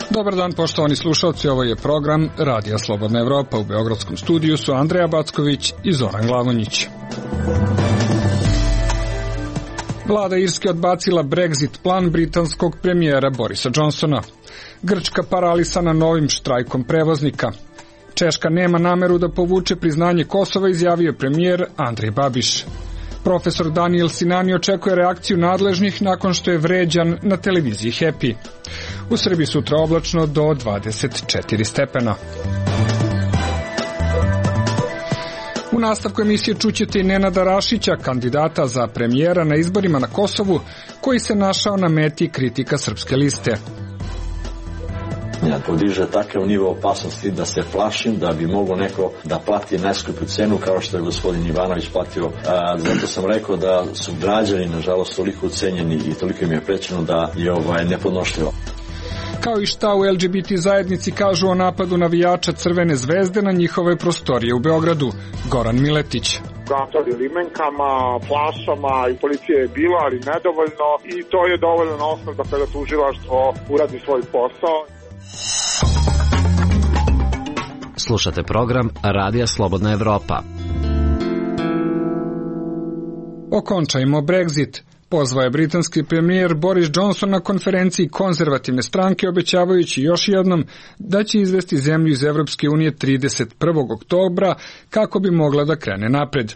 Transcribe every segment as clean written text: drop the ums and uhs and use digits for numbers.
Dobar dan, poštovani slušalci, ovo je program Radija Slobodna Evropa. U beogradskom studiju su Andreja Backović i Zoran Glavonjić. Vlada Irske odbacila Brexit plan britanskog premijera Borisa Johnsona. Grčka paralisana novim štrajkom prevoznika. Češka nema nameru da povuče priznanje Kosova, izjavio premijer Andrej Babiš. Profesor Daniel Sinani očekuje reakciju nadležnih nakon što je vređan na televiziji Happy. U Srbiji sutra oblačno do 24 stepena. U nastavku emisije čućete i Nenada Rašića, kandidata za premijera na izborima na Kosovu, koji se našao na meti kritika Srpske liste. Podiže takav nivo opasnosti da se plašim da bi moglo neko da plati najskuplju cenu kao što je gospodin Ivanović platio. Zato sam rekao da su građani nažalost toliko ucenjeni i toliko im je prećeno da je nepodnošljivo. Kao i šta u LGBT zajednici kažu o napadu navijača Crvene zvezde na njihove prostorije u Beogradu. Goran Miletić. Gatali limenkama, flašama i policije je bilo, ali nedovoljno, i to je dovoljno osnov da kada tužilaštvo uradi svoj posao. Slušate program Radija Slobodna Evropa. Okončajmo Brexit. Pozvao je britanski premijer Boris Johnson na konferenciji konzervativne stranke, obećavajući još jednom da će izvesti zemlju iz Evropske unije 31. oktobra kako bi mogla da krene napred.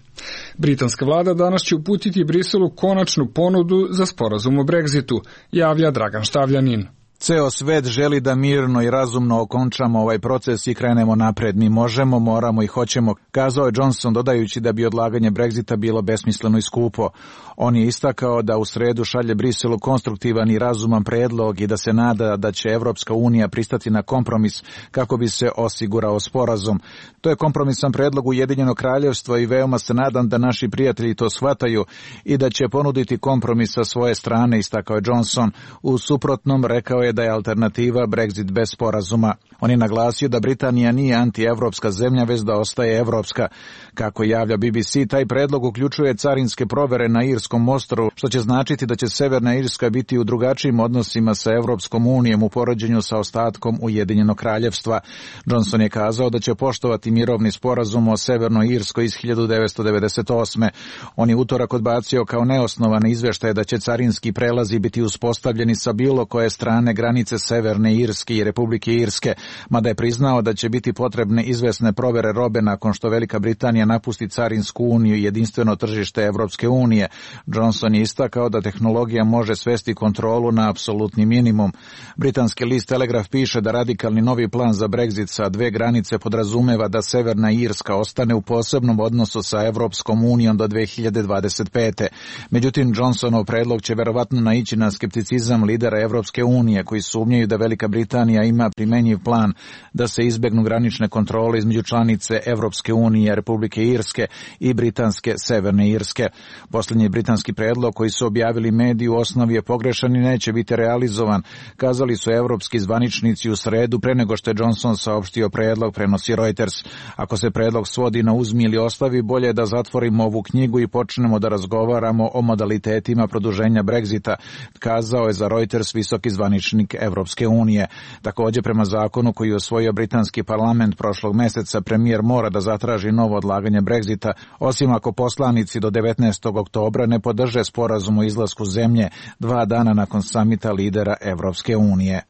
Britanska vlada danas će uputiti Briselu konačnu ponudu za sporazum o Brexitu, javlja Dragan Štavljanin. Ceo svet želi da mirno i razumno okončamo ovaj proces i krenemo napred. Mi možemo, moramo i hoćemo, kazao je Johnson, dodajući da bi odlaganje Brexita bilo besmisleno i skupo. On je istakao da u sredu šalje Briselu konstruktivan i razuman predlog i da se nada da će Evropska unija pristati na kompromis kako bi se osigurao sporazum. To je kompromisan predlog Ujedinjenog kraljevstva i veoma se nadam da naši prijatelji to shvataju i da će ponuditi kompromis sa svoje strane, istakao je Johnson. U suprotnom, rekao je da je alternativa Brexit bez sporazuma. On je naglasio da Britanija nije antievropska zemlja, već da ostaje evropska. Kako javlja BBC, taj predlog uključuje carinske provere na Irskom ostrvu, što će značiti da će Severna Irska biti u drugačijim odnosima sa Evropskom unijom u poređenju sa ostatkom Ujedinjenog kraljevstva. Johnson je kazao da će poštovati mirovni sporazum o Severnoj Irskoj iz 1998. On je utorak odbacio kao neosnovane izveštaje da će carinski prelazi biti uspostavljeni sa bilo koje strane granice Severne Irske i Republike Irske, mada je priznao da će biti potrebne izvesne provere robe nakon što Velika Britanija napusti carinsku uniju i jedinstveno tržište Evropske unije. Johnson je istakao da tehnologija može svesti kontrolu na apsolutni minimum. Britanski list Telegraph piše da radikalni novi plan za Brexit sa dve granice podrazumeva da Severna Irska ostane u posebnom odnosu sa Evropskom unijom do 2025. Međutim, Johnsonov predlog će verovatno naići na skepticizam lidera Evropske unije koji sumnjaju da Velika Britanija ima primenjiv plan da se izbegnu granične kontrole između članice Evropske unije, Republike Irske i britanske Severne Irske. Posljednji britanski predlog koji su objavili mediji u osnovi je pogrešan i neće biti realizovan, kazali su evropski zvaničnici u sredu pre nego što je Johnson saopštio predlog, prenosi Reuters. Ako se predlog svodi na uzmi ili ostavi, bolje je da zatvorimo ovu knjigu i počnemo da razgovaramo o modalitetima produženja Brexita, kazao je za Reuters visoki zvaničnik Evropske unije. Također, prema zakonu koji je osvojio britanski parlament prošlog meseca, premijer mora da zatraži novo odlaganje Brexita, osim ako poslanici do 19. oktobra ne podrže sporazum o izlasku zemlje 2 dana nakon samita lidera Evropske unije.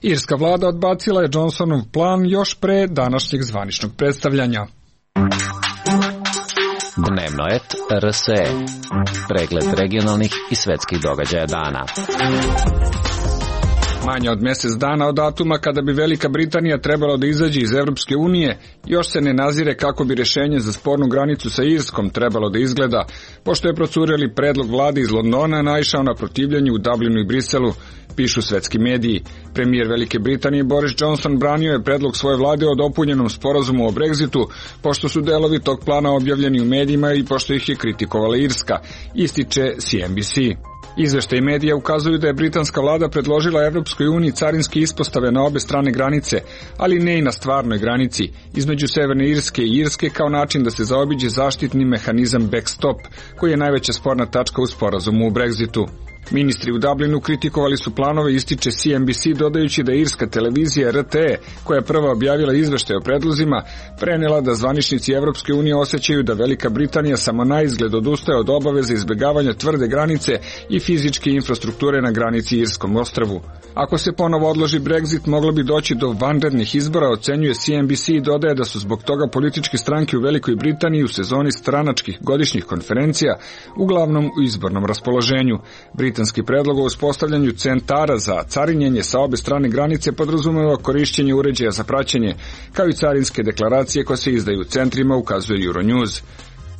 Irska vlada odbacila je Johnsonov plan još pre današnjeg zvaničnog predstavljanja. Dnevno et RSE. Pregled regionalnih i svetskih događaja dana. Manje od mjesec dana od datuma kada bi Velika Britanija trebala da izađe iz Evropske unije, još se ne nazire kako bi rješenje za spornu granicu sa Irskom trebalo da izgleda, pošto je procureli predlog vlade iz Londona naišao na protivljenje u Dublinu i Briselu, pišu svetski mediji. Premijer Velike Britanije Boris Johnson branio je predlog svoje vlade o dopunjenom sporazumu o Brexitu, pošto su delovi tog plana objavljeni u medijima i pošto ih je kritikovala Irska, ističe CNBC. Izveštaji medija ukazuju da je britanska vlada predložila Evropskoj uniji carinske ispostave na obe strane granice, ali ne i na stvarnoj granici, između Severne Irske i Irske kao način da se zaobiđe zaštitni mehanizam backstop, koji je najveća sporna tačka u sporazumu u Brexitu. Ministri u Dublinu kritikovali su planove, ističe CNBC, dodajući da irska televizija RTE, koja je prva objavila izveštaj o predlozima, prenela da zvaničnici Evropske unije osjećaju da Velika Britanija samo na izgled odustaje od obaveze izbjegavanja tvrde granice i fizičke infrastrukture na granici Irskom ostrvu. Ako se ponovo odloži Brexit, moglo bi doći do vanrednih izbora, ocenjuje CNBC i dodaje da su zbog toga političke stranke u Velikoj Britaniji u sezoni stranačkih godišnjih konferencija uglavnom u izbornom raspoloženju. Britanski predlog o uspostavljanju centara za carinjenje sa obe strane granice podrazumeva korišćenje uređaja za praćenje, kao i carinske deklaracije koje se izdaju u centrima, ukazuje Euronews.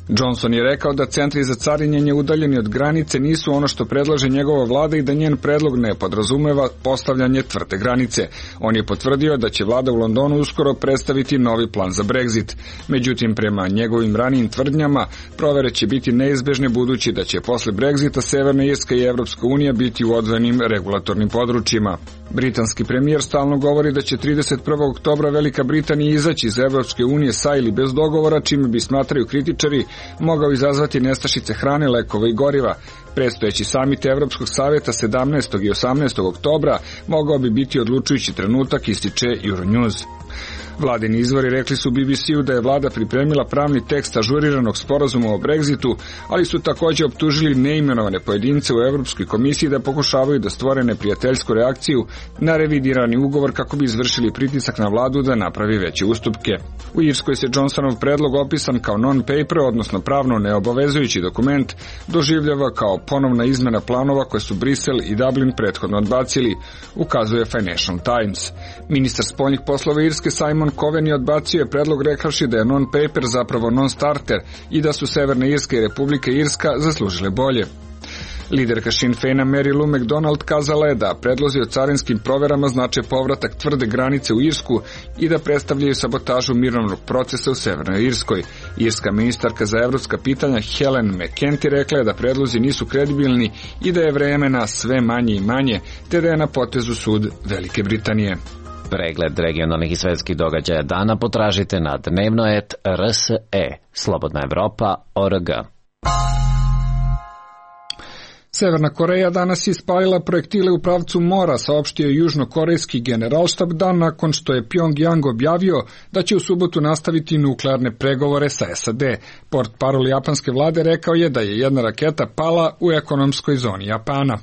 Johnson je rekao da centri za carinjenje udaljeni od granice nisu ono što predlaže njegova vlada i da njen predlog ne podrazumeva postavljanje tvrde granice. On je potvrdio da će vlada u Londonu uskoro predstaviti novi plan za Brexit. Međutim, prema njegovim ranijim tvrdnjama, provere će biti neizbežne budući da će posle Brexita Severna Irska i Evropska unija biti u odvojenim regulatornim područjima. Britanski premijer stalno govori da će 31. oktobra Velika Britanija izaći iz Evropske unije sa ili bez dogovora, čime bi, smatraju kritičari, mogao izazvati nestašice hrane, lekova i goriva. Predstojeći samit Evropskog savjeta 17. i 18. oktobra mogao bi biti odlučujući trenutak, ističe Euronews. Vladini izvori rekli su BBC-u da je vlada pripremila pravni tekst ažuriranog sporazuma o Brexitu, ali su također optužili neimenovane pojedince u Evropskoj komisiji da pokušavaju da stvore neprijateljsku reakciju na revidirani ugovor kako bi izvršili pritisak na vladu da napravi veće ustupke. U Irskoj se Johnsonov predlog, opisan kao non-paper, odnosno pravno neobavezujući dokument, doživljava kao ponovna izmena planova koje su Brisel i Dublin prethodno odbacili, ukazuje Financial Times. Ministar spoljnih poslova Irske Simon Coveney odbacio je predlog rekavši da je non-paper zapravo non-starter i da su Severna Irska i Republika Irska zaslužile bolje. Liderka Sinn Feina Mary Lou McDonald kazala je da predlozi o carinskim proverama znače povratak tvrde granice u Irsku i da predstavljaju sabotažu mirovnog procesa u Severnoj Irskoj. Irska ministarka za evropska pitanja Helen McEntee rekla je da predlozi nisu kredibilni i da je vremena sve manje i manje, te da je na potezu sud Velike Britanije. Pregled regionalnih i svetskih događaja dana potražite na dnevno.rse, slobodnaevropa.org. Severna Koreja danas je ispalila projektile u pravcu mora, saopštio je južnokorejski generalštab dan nakon što je Pjongjang objavio da će u subotu nastaviti nuklearne pregovore sa SAD. Portparol japanske vlade rekao je da je jedna raketa pala u ekonomskoj zoni Japana.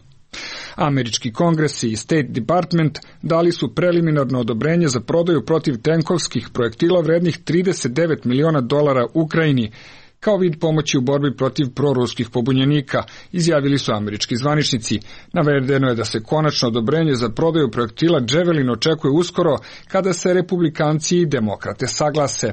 Američki kongres i State Department dali su preliminarno odobrenje za prodaju protivtenkovskih projektila vrednih $39 miliona Ukrajini, kao vid pomoći u borbi protiv proruskih pobunjenika, izjavili su američki zvaničnici. Navedeno je da se konačno odobrenje za prodaju projektila Javelin očekuje uskoro, kada se republikanci i demokrate saglase.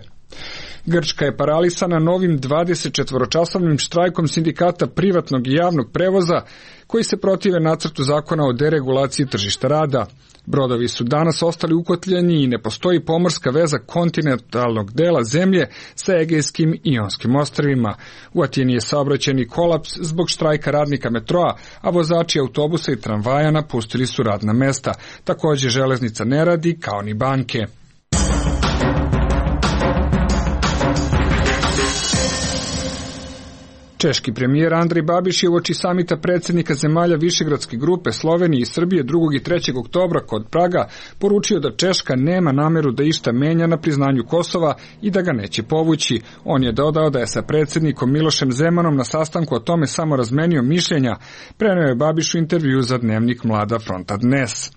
Grčka je paralisana novim 24-časovnim štrajkom sindikata privatnog i javnog prevoza, koji se protive nacrtu zakona o deregulaciji tržišta rada. Brodovi su danas ostali ukotljeni i ne postoji pomorska veza kontinentalnog dela zemlje sa Egejskim i Ionskim ostrvima. U Atini je saobraćajni kolaps zbog štrajka radnika metroa, a vozači autobusa i tramvaja napustili su radna mesta. Također železnica ne radi, kao ni banke. Češki premijer Andrej Babiš je uoči samita predsjednika zemalja Višegradske grupe Slovenije i Srbije 2. i 3. oktobra kod Praga poručio da Češka nema nameru da išta menja na priznanju Kosova i da ga neće povući. On je dodao da je sa predsjednikom Milošem Zemanom na sastanku o tome samo razmenio mišljenja, preneo je Babiš u intervju za dnevnik Mlada fronta dnes.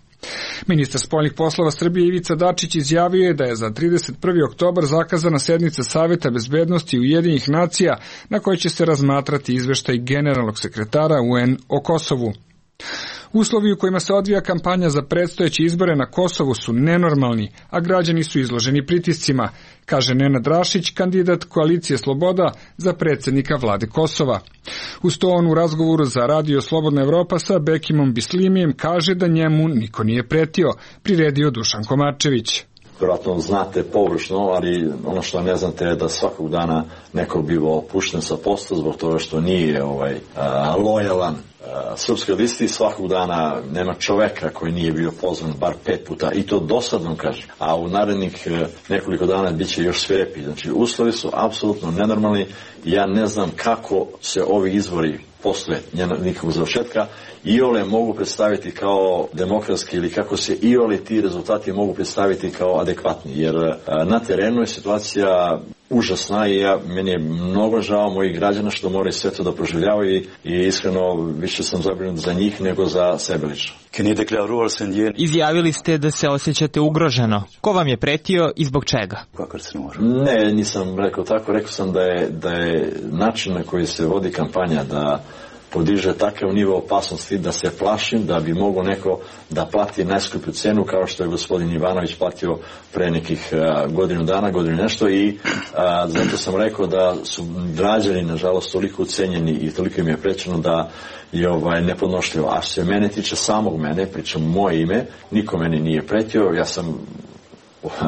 Ministar spoljnih poslova Srbije Ivica Dačić izjavio je da je za 31. oktobar zakazana sednica Saveta bezbednosti Ujedinjenih nacija na kojoj će se razmatrati izveštaj generalnog sekretara UN o Kosovu. Uslovi u kojima se odvija kampanja za predstojeće izbore na Kosovu su nenormalni, a građani su izloženi pritiscima, kaže Nenad Rašić, kandidat koalicije Sloboda za predsjednika vlade Kosova. Uz to on u razgovoru za radio Slobodna Evropa sa Bekimom Bislimijem kaže da njemu niko nije pretio, priredio Dušan Komačević. vjerojatno znate površno, ali ono što ne znate je da svakog dana neko biva pušten sa posta zbog toga što nije lojalan srpskoj listi. Svakog dana nema čoveka koji nije bio pozvan bar 5 puta, i to dosadno kažem, a u narednih nekoliko dana bit će još svirepi. Znači uslovi su apsolutno nenormalni. Ja ne znam kako se ovi izbori posle nikakvog završetka iole mogu predstaviti kao demokratski, ili kako se iole ti rezultati mogu predstaviti kao adekvatni, jer na terenu je situacija užasna i meni je mnogo žao mojih građana što moraju sve to da proživljavaju i iskreno više sam zabrinut za njih nego za sebe lično. Izjavili ste da se osjećate ugroženo. Ko vam je pretio i zbog čega? Ne, nisam rekao tako. Rekao sam da je način na koji se vodi kampanja da podiže takav nivo opasnosti da se plašim da bi mogao neko da plati najskuplju cenu kao što je gospodin Ivanović platio pre nekih godinu dana, godinu nešto, i zato sam rekao da su građani nažalost toliko ucenjeni i toliko im je prećeno da je nepodnošljivo. A što se mene tiče samog mene, pričam moje ime, niko meni nije pretio, ja sam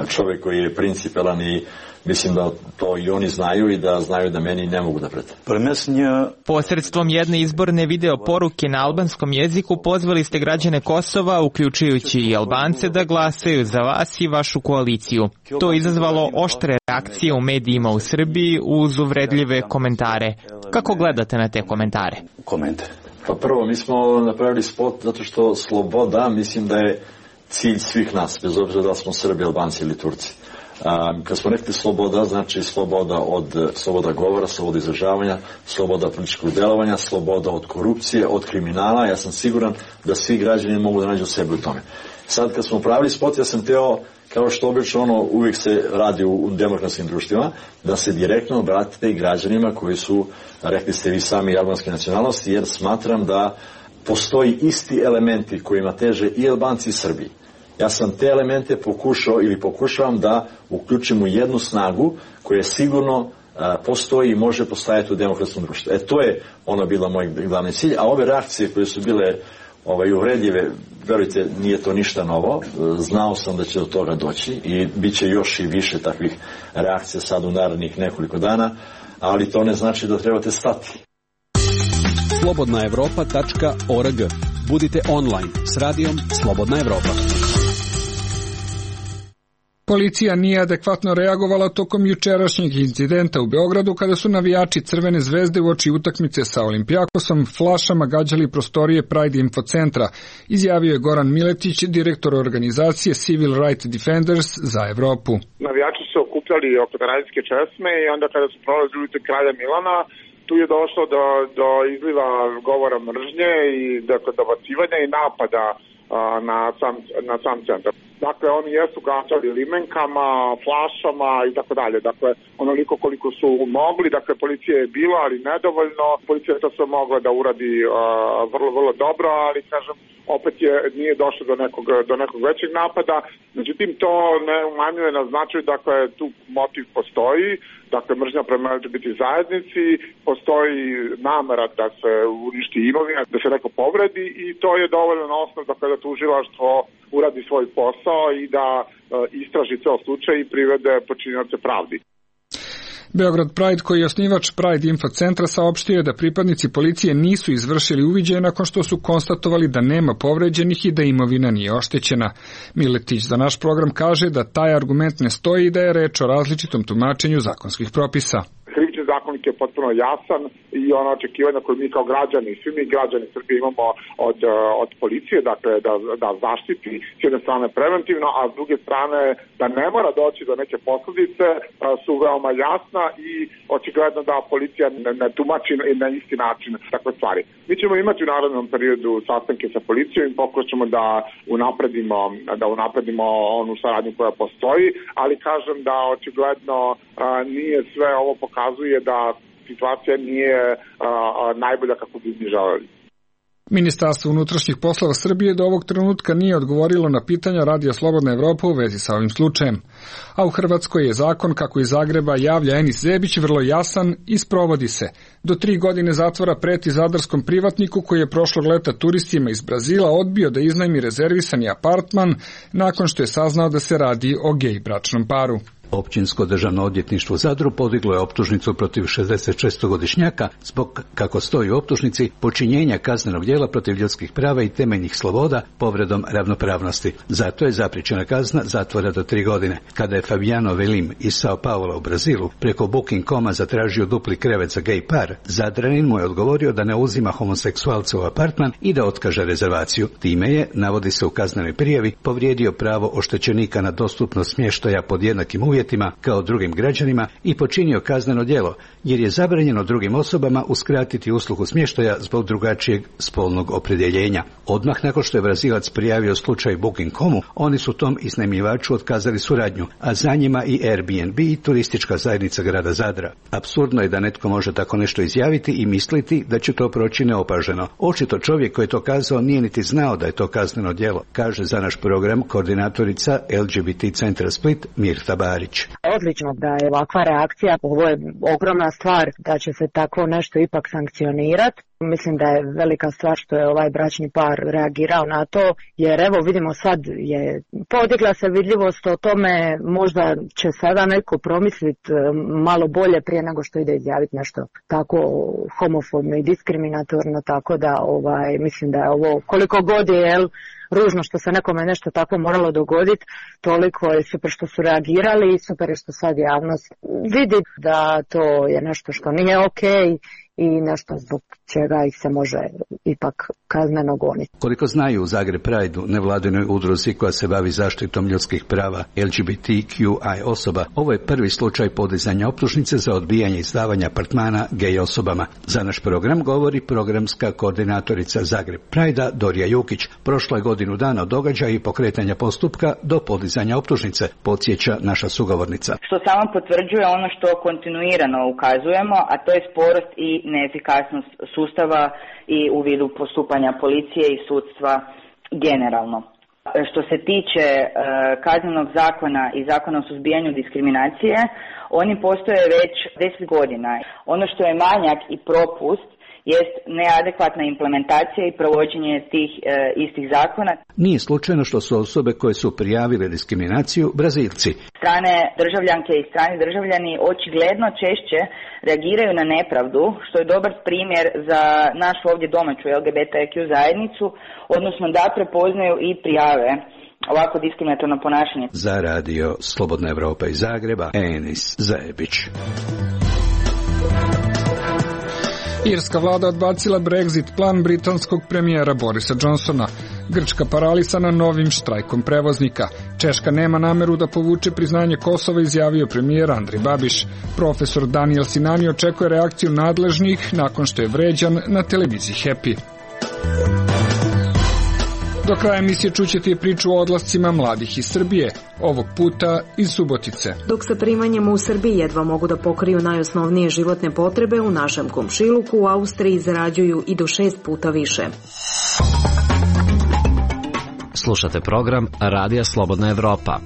čovjek koji je principalan i mislim da to i oni znaju i da znaju da meni ne mogu da prete. Posredstvom jedne izborne video poruke na albanskom jeziku pozvali ste građane Kosova, uključujući i Albance, da glasaju za vas i vašu koaliciju. To je izazvalo oštre reakcije u medijima u Srbiji uz uvredljive komentare. Kako gledate na te komentare? Pa prvo, mi smo napravili spot zato što sloboda, mislim da je cilj svih nas, bez obzira da smo Srbi, Albanci ili Turci. Kad smo rekli sloboda, znači sloboda govora, sloboda izražavanja, sloboda političkog delovanja, sloboda od korupcije, od kriminala. Ja sam siguran da svi građani mogu da nađu sebe u tome. Sad kad smo pravili spot, ja sam teo, kao što obično uvijek se radi u demokratskim društvima, da se direktno obratite i građanima koji su, rekli ste vi sami, albanske nacionalnosti, jer smatram da postoji isti elementi kojima teže i Albanci i Srbi. Ja sam te elemente pokušavam da uključim u jednu snagu koja sigurno postoji i može postajati u demokratskom društvu. To je bila moj glavni cilj, a ove reakcije koje su bile uvredljive, verujte, nije to ništa novo. Znao sam da će do toga doći i bit će još i više takvih reakcija sad u narednih nekoliko dana, ali to ne znači da trebate stati. slobodnaevropa.org. Budite online s radijom Slobodna Evropa. Policija nije adekvatno reagovala tokom jučerašnjeg incidenta u Beogradu kada su navijači Crvene zvezde uoči utakmice sa Olimpijakosom flašama gađali prostorije Pride Info centra, izjavio je Goran Miletić, direktor organizacije Civil Rights Defenders za Evropu. Navijači su okupljali oko radijske česme i onda kada su prolazili ulice Kralja Milana, tu je došlo do izliva govora mržnje i dobacivanja i napada na sam centar. Dakle, oni jesu gađali limenkama, flašama i tako dalje. Dakle, onoliko koliko su mogli. Dakle, policija je bila, ali nedovoljno. Policija je to sve mogla da uradi vrlo, vrlo dobro, ali, kažem, opet nije došlo do nekog većeg napada. Međutim, to ne umanjuje na značaju, dakle, tu motiv postoji. Dakle, mržnja prema LGBT zajednici, postoji namera da se uništi imovina, da se neko povredi, i to je dovoljno osnov da tužilaštvo uradi svoj posao i da istraži ceo slučaj i privede počinioce pravdi. Beograd Pride, koji je osnivač Pride Info centra, saopštio je da pripadnici policije nisu izvršili uviđaje nakon što su konstatovali da nema povređenih i da imovina nije oštećena. Miletić za naš program kaže da taj argument ne stoji i da je reč o različitom tumačenju zakonskih propisa. Krivični zakonik je potpuno jasan i ona očekivanja koje mi kao građani, svi mi građani Srbije imamo od policije, dakle da zaštiti s jedne strane preventivno, a s druge strane da ne mora doći do neke posledice, su veoma jasna i očigledno da policija ne tumači na isti način takve stvari. Mi ćemo imati u narednom periodu sastanke sa policijom i pokušamo da unapredimo onu saradnju koja postoji, ali kažem da očigledno nije sve ovo pokazuje da situacija nije najbolja kako bi mi želeli. Ministarstvo unutrašnjih poslova Srbije do ovog trenutka nije odgovorilo na pitanja Radija Slobodna Evropa u vezi sa ovim slučajem. A u Hrvatskoj je zakon, kako iz Zagreba javlja Enis Zebić, vrlo jasan i sprovodi se. Do 3 godine zatvora preti zadarskom privatniku koji je prošlog leta turistima iz Brazila odbio da iznajmi rezervisani apartman nakon što je saznao da se radi o gej bračnom paru. Općinsko državno odvjetništvo u Zadru podiglo je optužnicu protiv 66-godišnjaka zbog, kako stoji u optužnici, počinjenja kaznenog djela protiv ljudskih prava i temeljnih sloboda povredom ravnopravnosti. Zato je zapriječena kazna zatvora do 3 godine. Kada je Fabiano Velim iz Sao Paula u Brazilu preko Booking.com-a zatražio dupli krevet za gej par, Zadranin mu je odgovorio da ne uzima homoseksualce u apartman i da otkaže rezervaciju. Time je, navodi se u kaznenoj prijavi, povrijedio pravo oštećenika na dostupnost smještaja pod jednakim uvjetima kao drugim građanima i počinio kazneno djelo, jer je zabranjeno drugim osobama uskratiti uslugu smještaja zbog drugačijeg spolnog opredjeljenja. Odmah nakon što je Brazilac prijavio slučaj Booking.com-u, oni su tom iznajmljivaču otkazali suradnju, a za njima i Airbnb i turistička zajednica grada Zadra. Apsurdno je da netko može tako nešto izjaviti i misliti da će to proći neopaženo. Očito čovjek koji je to kazao nije niti znao da je to kazneno djelo, kaže za naš program koordinatorica LGBT centra Split Mirta Barić. Odlično da je ovakva reakcija, ovo je ogromna stvar da će se tako nešto ipak sankcionirati. Mislim da je velika stvar što je ovaj bračni par reagirao na to, jer evo vidimo sad je podigla se vidljivost o tome, možda će sada neko promisliti malo bolje prije nego što ide izjaviti nešto tako homofobno i diskriminatorno, tako da mislim da je ovo koliko god je ružno što se nekome nešto tako moralo dogoditi, toliko je super što su reagirali i super je što sad javnost vidi da to je nešto što nije okej i nešto zbog čega ih se može ipak kazneno goniti. Koliko znaju u Zagreb Prideu, nevladinoj udruzi koja se bavi zaštitom ljudskih prava LGBTQI osoba, ovo je prvi slučaj podizanja optužnice za odbijanje izdavanja apartmana gej osobama. Za naš program govori programska koordinatorica Zagreb Pridea Dorija Jukić. Prošlo je godinu dana od događaja i pokretanja postupka do podizanja optužnice, podsjeća naša sugovornica. Što samo potvrđuje ono što kontinuirano ukazujemo, a to je sporost i neefikasnost sustava i u vidu postupanja policije i sudstva generalno. Što se tiče kaznenog zakona i zakona o suzbijanju diskriminacije, oni postoje već 10 godina. Ono što je manjak i propust jest neadekvatna implementacija i provođenje tih istih zakona. Nije slučajno što su osobe koje su prijavile diskriminaciju Brazilci. Strane državljanke i strani državljani očigledno češće reagiraju na nepravdu, što je dobar primjer za našu ovdje domaću LGBTQ zajednicu, odnosno da prepoznaju i prijave ovako diskriminatorno ponašanje. Za radio Slobodna Evropa iz Zagreba, Enis Zebić. Irska vlada odbacila Brexit plan britanskog premijera Borisa Johnsona. Grčka paralisana novim štrajkom prevoznika. Češka nema nameru da povuče priznanje Kosova, izjavio premijer Andrej Babiš. Profesor Daniel Sinani očekuje reakciju nadležnih nakon što je vređan na televiziji Happy. Do kraja emisije čućete i priču o odlascima mladih iz Srbije, ovog puta iz Subotice. Dok sa primanjima u Srbiji jedva mogu da pokriju najosnovnije životne potrebe, u našem komšiluku u Austriji zarađuju i do 6 puta više. Slušate program Radija Slobodna Evropa.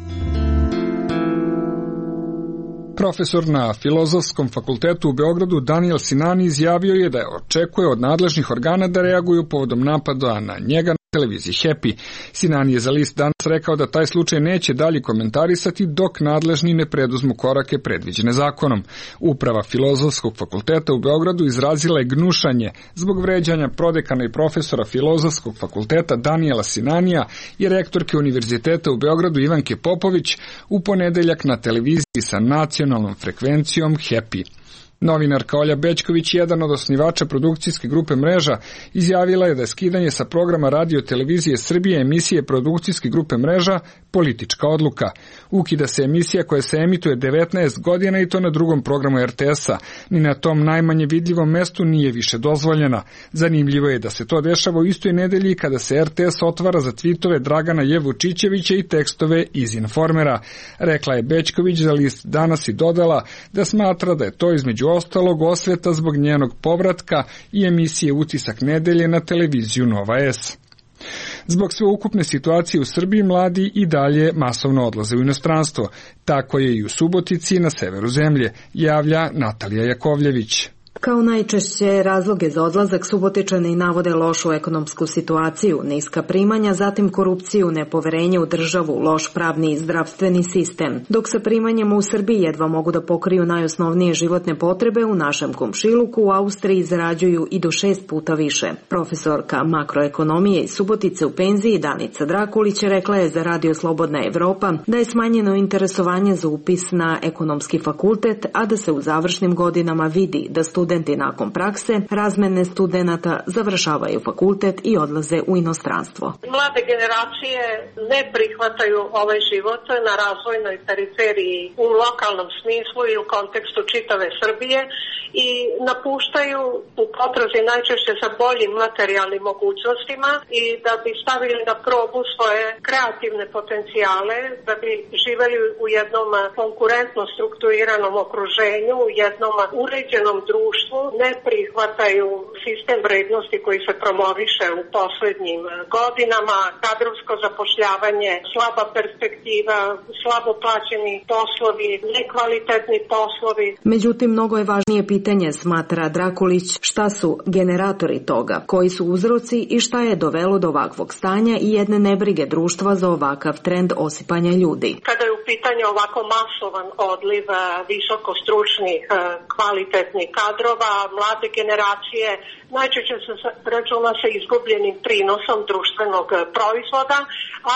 Profesor na Filozofskom fakultetu u Beogradu Daniel Sinani izjavio je da očekuje od nadležnih organa da reaguju povodom napada na njega na televiziji Happy. Sinani je za list danas rekao da taj slučaj neće dalje komentarisati dok nadležni ne preduzmu korake predviđene zakonom. Uprava Filozofskog fakulteta u Beogradu izrazila je gnušanje zbog vređanja prodekana i profesora Filozofskog fakulteta Daniela Sinanija i rektorke Univerziteta u Beogradu Ivanke Popović u ponedeljak na televiziji sa nacionalnom frekvencijom Happy. Novinarka Olja Bećković, jedan od osnivača produkcijske grupe Mreža, izjavila je da je skidanje sa programa Radio televizije Srbije emisije produkcijske grupe Mreža politička odluka. Ukida se emisija koja se emituje 19 godina i to na drugom programu RTS-a. Ni na tom najmanje vidljivom mestu nije više dozvoljena. Zanimljivo je da se to dešava u istoj nedelji kada se RTS otvara za tvitove Dragana Jevučićevića i tekstove iz Informera. Rekla je Bećković za list Danas i dodala da smatra da je to između ostalog osveta zbog njenog povratka i emisije Utisak nedelje na televiziju Nova S. Zbog sveukupne situacije u Srbiji mladi i dalje masovno odlaze u inostranstvo. Tako je i u Subotici na severu zemlje, javlja Natalija Jakovljević. Kao najčešće razloge za odlazak Subotičani navode lošu ekonomsku situaciju, niska primanja, zatim korupciju, nepoverenje u državu, loš pravni i zdravstveni sistem. Dok sa primanjama u Srbiji jedva mogu da pokriju najosnovnije životne potrebe, u našem komšiluku u Austriji zarađuju i do 6 puta više. Profesorka makroekonomije iz Subotice u penziji Danica Drakulić rekla je za Radio Slobodna Evropa da je smanjeno interesovanje za upis na ekonomski fakultet, a da se u završnim godinama vidi da studenti nakon prakse, razmene studenata završavaju fakultet i odlaze u inostranstvo. Mlade generacije ne prihvataju ovaj život na razvojnoj periferiji u lokalnom smislu i u kontekstu čitave Srbije i napuštaju u potrazi najčešće sa boljim materijalnim mogućnostima i da bi stavili na probu svoje kreativne potencijale, da bi živeli u jednom konkurentno strukturiranom okruženju, u jednom uređenom društvu, ne prihvataju sistem vrednosti koji se promoviše u poslednjim godinama, kadrovsko zapošljavanje, slaba perspektiva, slabo plaćeni poslovi, nekvalitetni poslovi. Međutim, mnogo je važnije pitanje, smatra Drakulić, šta su generatori toga, koji su uzroci i šta je dovelo do ovakvog stanja i jedne nebrige društva za ovakav trend osipanja ljudi. Kada je u pitanju ovako masovan odliv visokostručnih, kvalitetnih kadrova, mlade generacije, najčešće se računa sa izgubljenim prinosom društvenog proizvoda,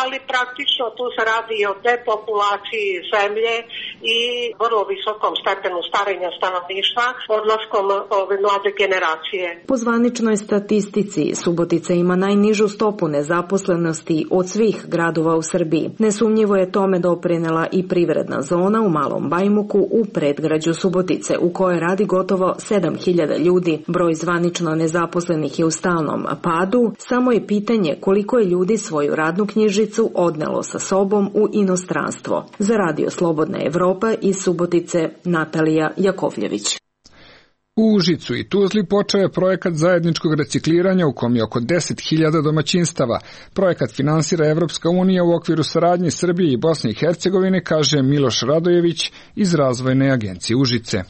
ali praktično tu se radi i o depopulaciji zemlje i vrlo visokom stepenu starenja stanovništva odlaskom ove mlade generacije. Po zvaničnoj statistici, Subotica ima najnižu stopu nezaposlenosti od svih gradova u Srbiji. Nesumnjivo je tome doprinela i privredna zona u Malom Bajmuku u predgrađu Subotice, u kojoj radi gotovo 7.000 ljudi. Broj zvanično nezaposlenih je u stalnom padu, samo je pitanje koliko je ljudi svoju radnu knjižicu odnelo sa sobom u inostranstvo. Za Radio Slobodna Evropa iz Subotice, Natalija Jakovljević. U Užicu i Tuzli počeo je projekat zajedničkog recikliranja u kom je oko 10.000 domaćinstava. Projekat finansira Evropska unija u okviru saradnje Srbije i Bosne i Hercegovine, kaže Miloš Radojević iz Razvojne agencije Užice.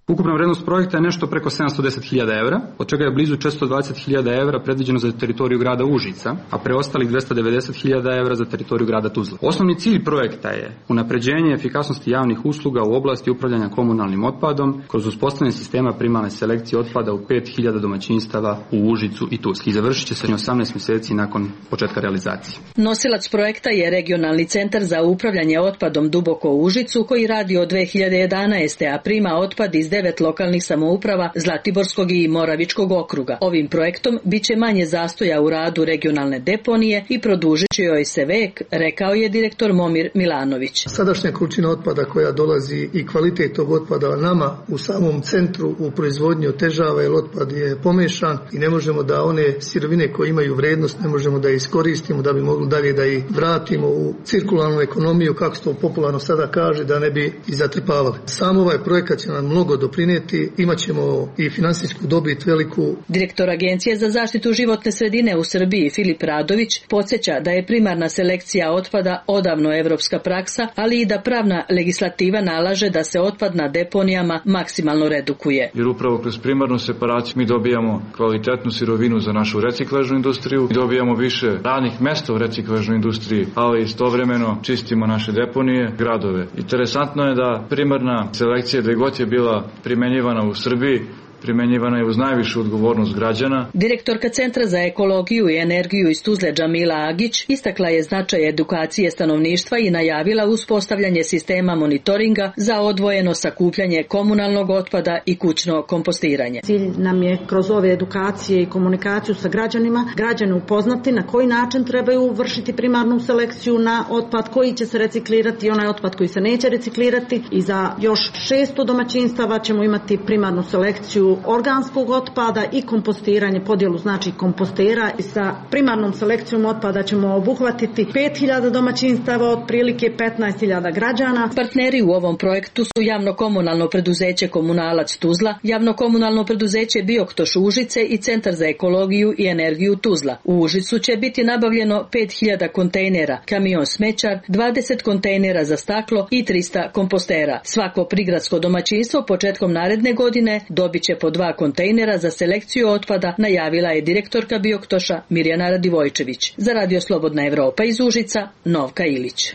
Ukupna vrednost projekta je nešto preko 710.000 evra, od čega je blizu 420.000 evra predviđeno za teritoriju grada Užica, a preostalih 290.000 evra za teritoriju grada Tuzla. Osnovni cilj projekta je unapređenje efikasnosti javnih usluga u oblasti upravljanja komunalnim otpadom kroz uspostavljanje sistema primarne selekcije otpada u 5.000 domaćinstava u Užicu i Tuzli. I završit će se 18 mjeseci nakon početka realizacije. Nosilac projekta je Regionalni centar za upravljanje otpadom Duboko u Užicu, koji radi od 2011. a prima otpad iz 9 lokalnih samouprava Zlatiborskog i Moravičkog okruga. Ovim projektom biće manje zastoja u radu regionalne deponije i produžit će joj se vek, rekao je direktor Momir Milanović. Sadašnja količina otpada koja dolazi i kvalitet tog otpada nama u samom centru u proizvodnji otežava, jer otpad je pomešan i ne možemo da one sirovine koje imaju vrednost ne možemo da iskoristimo da bi mogli dalje da ih vratimo u cirkularnu ekonomiju, kako se to popularno sada kaže, da ne bi i zatrpavali. Sam ovaj projekat će nam mnogo doprinijeti, imat ćemo i finansijsku dobit veliku. Direktor Agencije za zaštitu životne sredine u Srbiji Filip Radović podsjeća da je primarna selekcija otpada odavno evropska praksa, ali i da pravna legislativa nalaže da se otpad na deponijama maksimalno redukuje. Jer upravo kroz primarnu separaciju mi dobijamo kvalitetnu sirovinu za našu reciklažnu industriju, dobijamo više radnih mesta u reciklažnoj industriji, ali istovremeno čistimo naše deponije, gradove. Interesantno je da primarna selekcija, gde god je bila primenjivana u Srbiji, primenjivana je uz najvišu odgovornost građana. Direktorka Centra za ekologiju i energiju iz Tuzle Džamila Agić istakla je značaj edukacije stanovništva i najavila uspostavljanje sistema monitoringa za odvojeno sakupljanje komunalnog otpada i kućno kompostiranje. Cilj nam je kroz ove edukacije i komunikaciju sa građanima, građane upoznati na koji način trebaju vršiti primarnu selekciju na otpad koji će se reciklirati i onaj otpad koji se neće reciklirati, i za još 600 domaćinstava ćemo imati primarnu selekciju podjelu organskog otpada i kompostiranje, podjelu znači kompostera. I sa primarnom selekcijom otpada ćemo obuhvatiti 5.000 domaćinstava, otprilike 15.000 građana. Partneri u ovom projektu su javno-komunalno preduzeće Komunalac Tuzla, javno-komunalno preduzeće Bioktoš Užice i Centar za ekologiju i energiju Tuzla. U Užicu će biti nabavljeno 5.000 kontejnera, kamion smećar, 20 kontejnera za staklo i 300 kompostera. Svako prigradsko domaćinstvo početkom naredne godine dobit će po 2 kontejnera za selekciju otpada, najavila je direktorka Bioktoša Mirjana Radivojčević. Za Radio Slobodna Evropa iz Užica, Novka Ilić.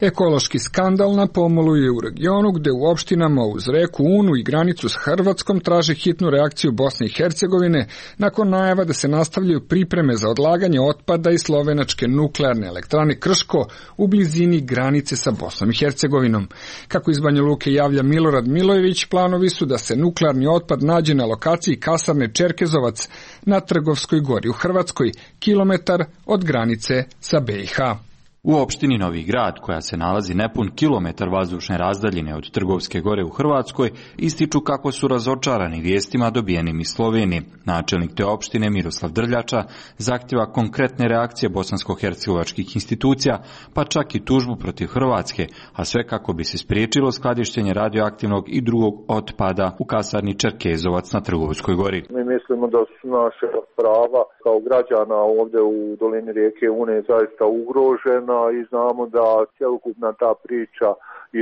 Ekološki skandal na pomolu je u regionu gde u opštinama uz reku Unu i granicu s Hrvatskom traže hitnu reakciju Bosne i Hercegovine nakon najava da se nastavljaju pripreme za odlaganje otpada iz slovenačke nuklearne elektrane Krško u blizini granice sa Bosnom i Hercegovinom. Kako iz Banja Luke javlja Milorad Milojević, planovi su da se nuklearni otpad nađe na lokaciji kasarne Čerkezovac na Trgovskoj gori u Hrvatskoj, kilometar od granice sa BiH. U opštini Novi Grad, koja se nalazi nepun kilometar vazdušne razdaljine od Trgovske gore u Hrvatskoj, ističu kako su razočarani vijestima dobijenim iz Slovenije. Načelnik te opštine Miroslav Drljača zahtjeva konkretne reakcije bosansko-hercegovačkih institucija, pa čak i tužbu protiv Hrvatske, a sve kako bi se spriječilo skladištenje radioaktivnog i drugog otpada u kasarni Čerkezovac na Trgovskoj gori. Mi mislimo da su naše prava kao građana ovdje u dolini rijeke Une zaista ugrožena i znamo da cjelokupna ta priča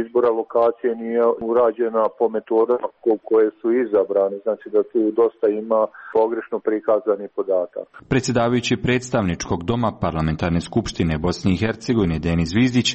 izbora lokacije nije urađena po metodama koje su izabrane, znači da tu dosta ima pogrešno prikazani podatak. Predsjedavajući predstavničkog doma Parlamentarne skupštine Bosne i Hercegovine Denis Zvizdić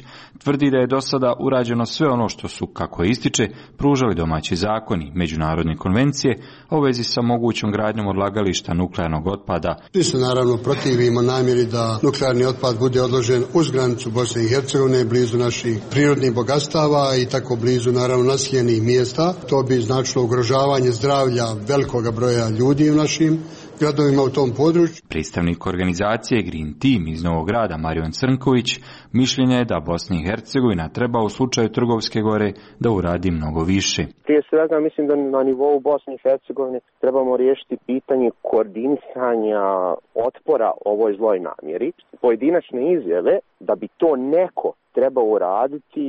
tvrdi da je do sada urađeno sve ono što su, kako ističe, pružali domaći zakoni, međunarodne konvencije, a u vezi sa mogućom gradnjom odlagališta nuklearnog otpada. Svi se naravno protivimo namjeri da nuklearni otpad bude odložen uz granicu Bosne i Hercegovine, blizu naših prirodnih bogatstava i tako blizu naravno naseljenih mjesta. To bi značilo ugrožavanje zdravlja velikog broja ljudi u našim gradovima u tom području. Predstavnik organizacije Green Team iz Novog Grada Marion Crnković mišljenja je da Bosna i Hercegovina treba u slučaju Trgovske gore da uradi mnogo više. Prije svega mislim da na nivou Bosne i Hercegovine trebamo riješiti pitanje koordinisanja otpora ovoj zloj namjeri. Pojedinačne izjave da bi to neko treba uraditi,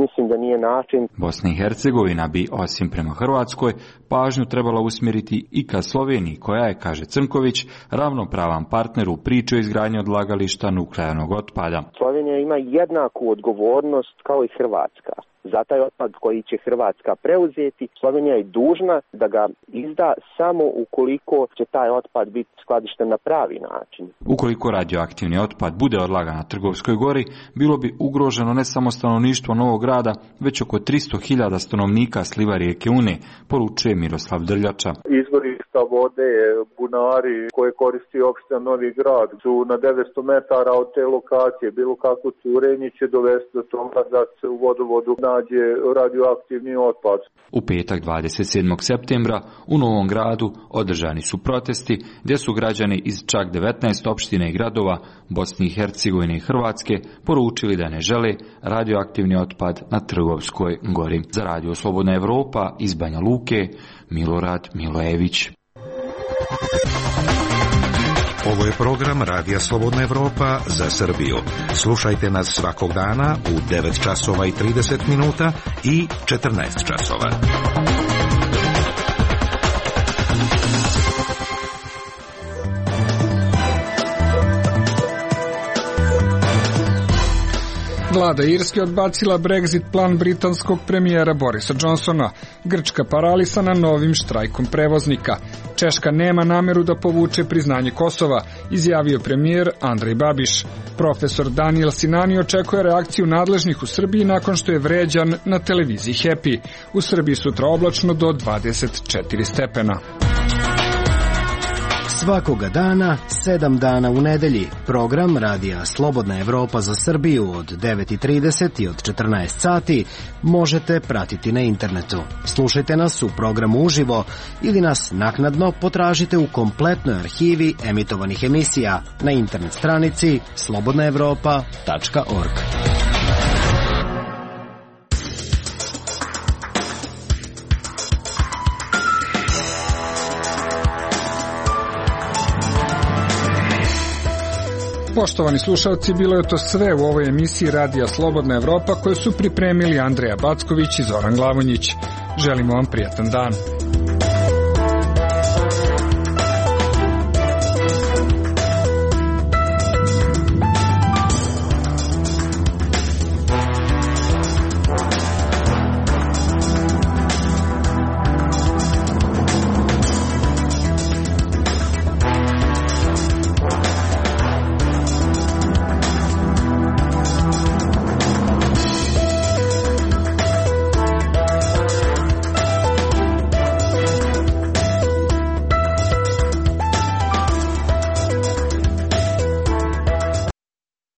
mislim da nije način. Bosna i Hercegovina bi, osim prema Hrvatskoj, pažnju trebala usmjeriti i ka Sloveniji, koja je, kaže Crnković, ravnopravan partner u priči o izgradnji odlagališta nuklearnog otpada. Slovenija ima jednaku odgovornost kao i Hrvatska. Za taj otpad koji će Hrvatska preuzeti, Slovenija je dužna da ga izda samo ukoliko će taj otpad biti skladišten na pravi način. Ukoliko radioaktivni otpad bude odlagan na Trgovskoj gori, bilo bi ugroženo ne samo stanovništvo Novog Grada, već oko 300.000 stanovnika sliva rijeke Une, poručuje Miroslav Drljača. Izvorišta vode, bunari koje koristi opština Novi Grad su na 900 metara od te lokacije. Bilo kako curenje će dovesti do toga da se u vodovodu nađe radioaktivni otpad. U petak 27. septembra u Novom Gradu održani su protesti gdje su građani iz čak 19 opština i gradova Bosne i Hercegovine i Hrvatske poručili da ne žele radioaktivni otpad na Trgovskoj gori. Za Radio Slobodna Evropa iz Banja Luke, Milorad Milojević. Ovo je program Radija Slobodna Evropa za Srbiju. Slušajte nas svakog dana u 9 časova i 30 minuta i 14 časova. Vlada Irske odbacila Brexit plan britanskog premijera Borisa Johnsona. Grčka paralisana novim štrajkom prevoznika. Češka nema nameru da povuče priznanje Kosova, izjavio premijer Andrej Babiš. Profesor Daniel Sinani očekuje reakciju nadležnih u Srbiji nakon što je vređan na televiziji Happy. U Srbiji sutra oblačno do 24 stepena. Svakoga dana, 7 dana u nedelji. Program Radija Slobodna Evropa za Srbiju od 9:30 i od 14 sati možete pratiti na internetu. Slušajte nas u programu uživo ili nas naknadno potražite u kompletnoj arhivi emitovanih emisija na internet stranici slobodnaevropa.org. Poštovani slušalci, bilo je to sve u ovoj emisiji Radija Slobodna Evropa koju su pripremili Andreja Backović i Zoran Glavonjić. Želimo vam prijatan dan.